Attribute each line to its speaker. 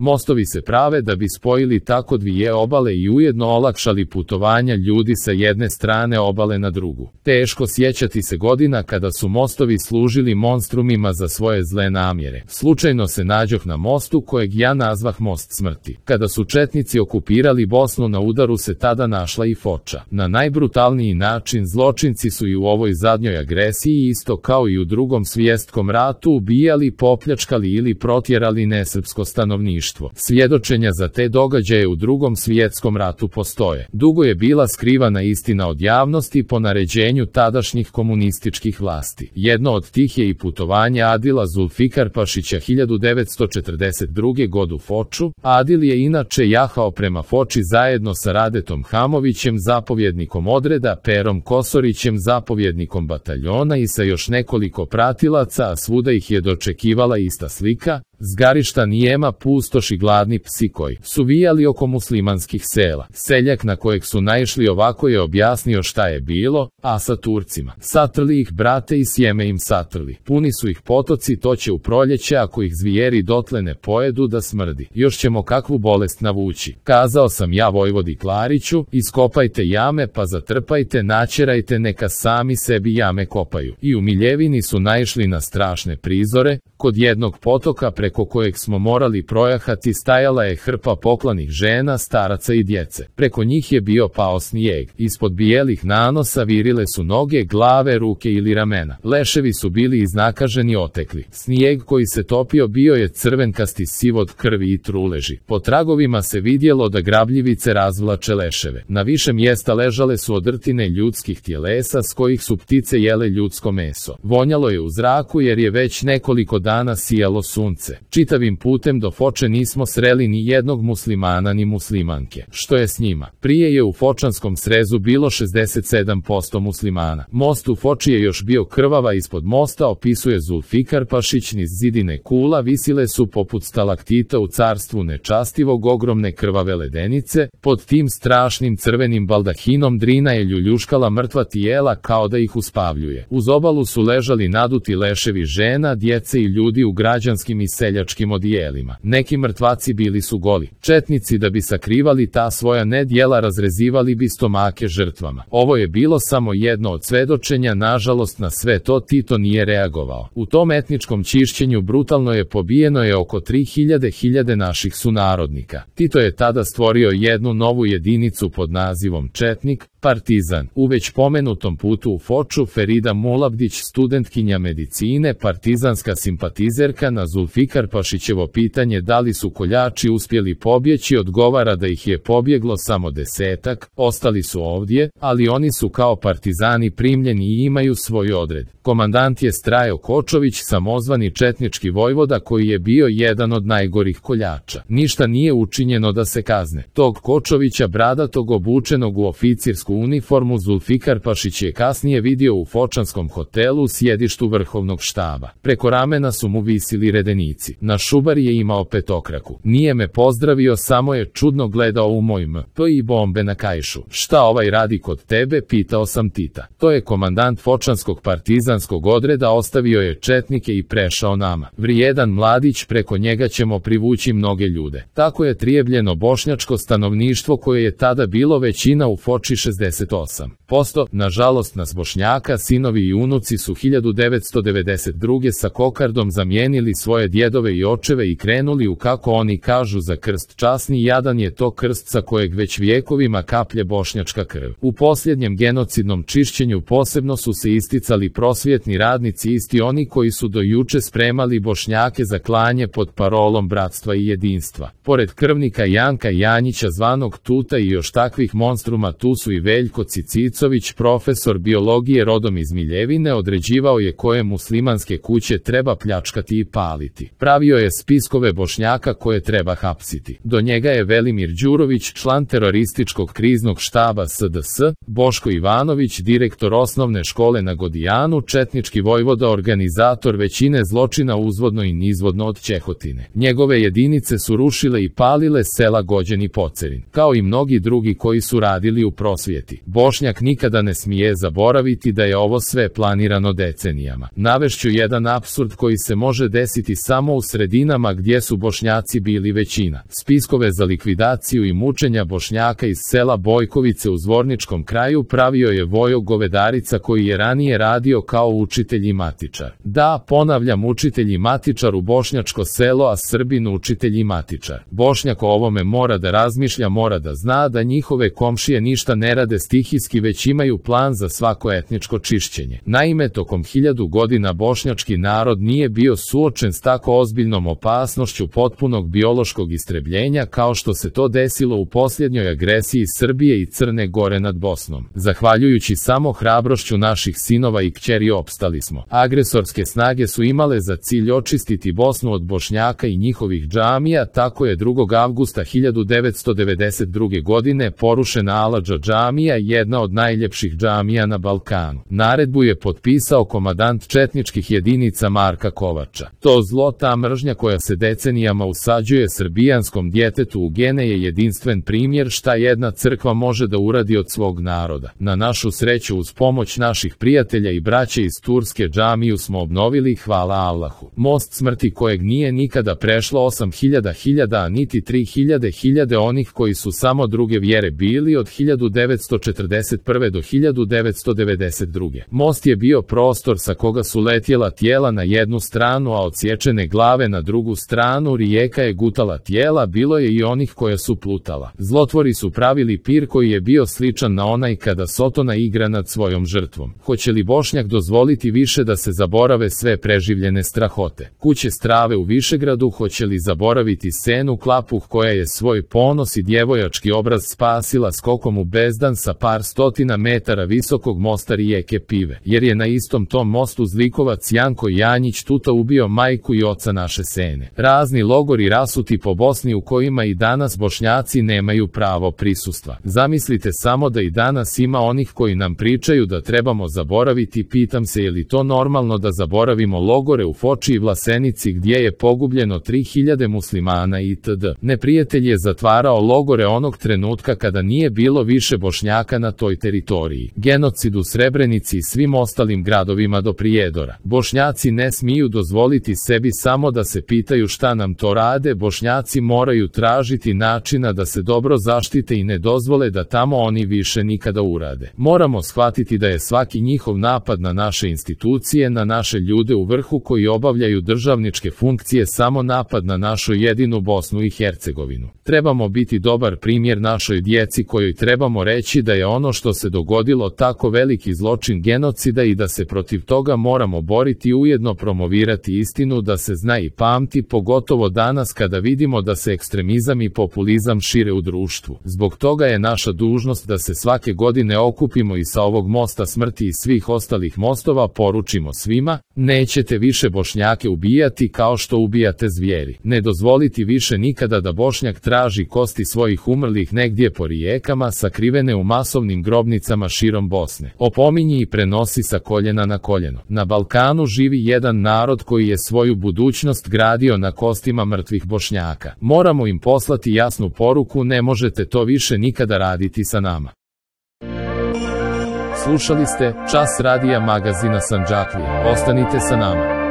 Speaker 1: Mostovi se prave da bi spojili tako dvije obale i ujedno olakšali putovanja ljudi sa jedne strane obale na drugu. Teško sjećati se godina kada su mostovi služili monstrumima za svoje zle namjere. Slučajno se nađoh na mostu kojeg ja nazvah most smrti. Kada su četnici okupirali Bosnu, na udaru se tada našla i Foča. Na najbrutalniji način zločinci su i u ovoj zadnjoj agresiji, isto kao i u Drugom svjetskom ratu, ubijali, popljačkali ili protjerali nesrpsko stanovništvo. Svjedočenja za te događaje u Drugom svjetskom ratu postoje. Dugo je bila skrivana istina od javnosti po naređenju tadašnjih komunističkih vlasti. Jedno od tih je i putovanje Adila Zulfikarpašića 1942. godine u Foču. Adil je inače jahao prema Foči zajedno sa Radetom Hamovićem, zapovjednikom odreda, Perom Kosorićem, zapovjednikom bataljona, i sa još nekoliko pratilaca, a svuda ih je dočekivala ista slika: zgarišta, nijema pustoš i gladni psi koji su vijali oko muslimanskih sela. Seljak na kojeg su naišli ovako je objasnio šta je bilo: a sa Turcima. Satrli ih, brate, i sjeme im satrli. Puni su ih potoci, to će u proljeće, ako ih zvijeri dotle ne pojedu, da smrdi. Još ćemo kakvu bolest navući. Kazao sam ja vojvodi Klariću: iskopajte jame pa zatrpajte, načerajte, neka sami sebi jame kopaju. I u Miljevini su naišli na strašne prizore. Kod jednog potoka preko kojeg smo morali projahati stajala je hrpa poklanih žena, staraca i djece. Preko njih je bio pao snijeg. Ispod bijelih nanosa virile su noge, glave, ruke ili ramena. Leševi su bili iznakaženi, otekli. Snijeg koji se topio bio je crvenkasti, siv od krvi i truleži. Po tragovima se vidjelo da grabljivice razvlače leševe. Na više mjesta ležale su odrtine ljudskih tjelesa s kojih su ptice jele ljudsko meso. Vonjalo je u zraku jer je već nekoliko dana sijalo sunce. Čitavim putem do Foče nismo sreli ni jednog muslimana ni muslimanke. Što je s njima? Prije je u Fočanskom srezu bilo 67% muslimana. Most u Foči je još bio krvava. Ispod mosta, opisuje Zulfikarpašić, niz zidine kula visile su poput stalaktita u carstvu nečastivog ogromne krvave ledenice. Pod tim strašnim crvenim baldahinom Drina je ljuljuškala mrtva tijela kao da ih uspavljuje. Uz obalu su ležali naduti leševi žena, djece i ljudi u građanskim i seljačkim odijelima. Neki mrtvaci bili su goli. Četnici, da bi sakrivali ta svoja nedjela, razrezivali bi stomake žrtvama. Ovo je bilo samo jedno od svedočenja. Nažalost, na sve to Tito nije reagovao. U tom etničkom čišćenju brutalno je pobijeno oko 3000 naših sunarodnika. Tito je tada stvorio jednu novu jedinicu pod nazivom Četnik, partizan. U već pomenutom putu u Foču Ferida Mulabdić, studentkinja medicine, partizanska simpatizerka, na Zulfikarpašićevo pitanje da li su koljači uspjeli pobjeći, odgovara da ih je pobjeglo samo 10-ak, ostali su ovdje, ali oni su kao partizani primljeni i imaju svoj odred. Komandant je Strajo Kočović, samozvani četnički vojvoda koji je bio jedan od najgorih koljača. Ništa nije učinjeno da se kazne tog Kočovića, bradatog, obučenog u oficirsku uniformu, Zulfikarpašić je kasnije vidio u Fočanskom hotelu u sjedištu vrhovnog štaba. Preko ramena su mu visili redenici. Na šubari je imao petokraku. Nije me pozdravio, samo je čudno gledao u moj MP i bombe na kaišu. Šta ovaj radi kod tebe, pitao sam Tita. To je komandant Fočanskog partizanskog odreda, ostavio je četnike i prešao nama. Vrijedan mladić, preko njega ćemo privući mnoge ljude. Tako je trijebljeno bošnjačko stanovništvo koje je tada bilo većina u Foči, 68%. Nažalost, nas Bošnjaka, sinovi i unuci su 1992. sa kokardom zamijenili svoje djedove i očeve i krenuli u, kako oni kažu, za krst. Časni jadan je to krst sa kojeg već vjekovima kaplje bošnjačka krv. U posljednjem genocidnom čišćenju posebno su se isticali prosvjetni radnici, isti oni koji su do juče spremali Bošnjake za klanje pod parolom bratstva i jedinstva. Pored krvnika Janka Janjića zvanog Tuta i još takvih monstruma, tu su i Veljko Cicicović, profesor biologije rodom iz Miljevine. Određivao je koje muslimanske kuće treba pljačkati i paliti. Pravio je spiskove Bošnjaka koje treba hapsiti. Do njega je Velimir Đurović, član terorističkog kriznog štaba SDS, Boško Ivanović, direktor osnovne škole na Godijanu, četnički vojvoda, organizator većine zločina uzvodno i nizvodno od Čehotine. Njegove jedinice su rušile i palile sela Gođen i Pocerin, kao i mnogi drugi koji su radili u prosvjeti. Bošnjak nikada ne smije zaboraviti da je ovo sve planirano decenijama. Navešću jedan apsurd koji se može desiti samo u sredinama gdje su Bošnjaci bili većina. Spiskove za likvidaciju i mučenja Bošnjaka iz sela Bojkovice u Zvorničkom kraju pravio je Vojo Govedarica, koji je ranije radio kao učitelj i matičar. Da, ponavljam, učitelj i matičar u bošnjačko selo, a Srbin učitelj i matičar. Bošnjak o ovome mora da razmišlja, mora da zna da njihove komšije ništa ne rade stihijski, već imaju plan za svako etničko čišćenje. Naime, tokom 1000 godina bošnjački narod nije bio suočen s tako ozbiljnom opasnošću potpunog biološkog istrebljenja kao što se to desilo u posljednjoj agresiji Srbije i Crne Gore nad Bosnom. Zahvaljujući samo hrabrošću naših sinova i kćeri opstali smo. Agresorske snage su imale za cilj očistiti Bosnu od Bošnjaka i njihovih džamija, tako je 2. avgusta 1992. godine porušena Aladža džamija, jedna od najljepših džamija na Balkanu. Naredbu je potpisao komandant četničkih jedinica Marka Kovača. To zlo, ta mržnja koja se decenijama usađuje srbijanskom djetetu u gene, je jedinstven primjer šta jedna crkva može da uradi od svog naroda. Na našu sreću, uz pomoć naših prijatelja i braće iz Turske, džamiju smo obnovili, hvala Allahu. Most smrti kojeg nije nikada prešlo 8000 a niti 3000 onih koji su samo druge vjere bili od 1941. do 1992. Most je bio prostor sa koga su letjela tijela na jednu stranu, a odsječene glave na drugu stranu. Rijeka je gutala tijela, bilo je i onih koja su plutala. Zlotvori su pravili pir koji je bio sličan na onaj kada sotona igra nad svojom žrtvom. Hoće li Bošnjak dozvoliti više da se zaborave sve preživljene strahote? Kuće strave u Višegradu, hoće li zaboraviti Senu Klapuh koja je svoj ponos i djevojački obraz spasila skokom u bezdan sa par stotina metara visokog mosta rijeke Pive, jer je na istom tom mostu zlikovac Janko Janjić tuta ubio majku i oca naše Sene. Razni logori rasuti po Bosni u kojima i danas Bošnjaci nemaju pravo prisustva. Zamislite samo da i danas ima onih koji nam pričaju da trebamo zaboraviti. Pitam se, je li to normalno da zaboravimo logore u Foči i Vlasenici gdje je pogubljeno 3000 muslimana itd. Neprijatelj je zatvarao logore onog trenutka kada nije bilo više Bošnjaka na toj teritoriji. Genocid u Srebrenici i svim ostalim gradovima do Prijedora. Bošnjaci ne smiju dozvoliti sebi samo da se pitaju šta nam to rade. Bošnjaci moraju tražiti načina da se dobro zaštite i ne dozvole da tamo oni više nikada urade. Moramo shvatiti da je svaki njihov napad na naše institucije, na naše ljude u vrhu koji obavljaju državničke funkcije, samo napad na našu jedinu Bosnu i Hercegovinu. Trebamo biti dobar primjer našoj djeci kojoj trebamo reći da je ono što se dogodilo tako veliki zločin genocida i da se protiv toga moramo boriti, ujedno promovirati istinu da se zna i pamti, pogotovo danas kada vidimo da se ekstremizam i populizam šire u društvu. Zbog toga je naša dužnost da se svake godine okupimo i sa ovog mosta smrti i svih ostalih mostova poručimo svima: nećete više Bošnjake ubijati kao što ubijate zvijeri. Ne dozvoliti više nikada da Bošnjak traži kosti svojih umrlih negdje po rijekama sakrivene u masovnim grobnicama širom Bosne. Opominji i prenosi sa koljena na koljeno. Na Balkanu živi jedan narod koji je svoju budućnost gradio na kostima mrtvih Bošnjaka. Moramo im poslati jasnu poruku: ne možete to više nikada raditi sa nama. Slušali ste Čas radija magazina Sandžaklije. Ostanite sa nama.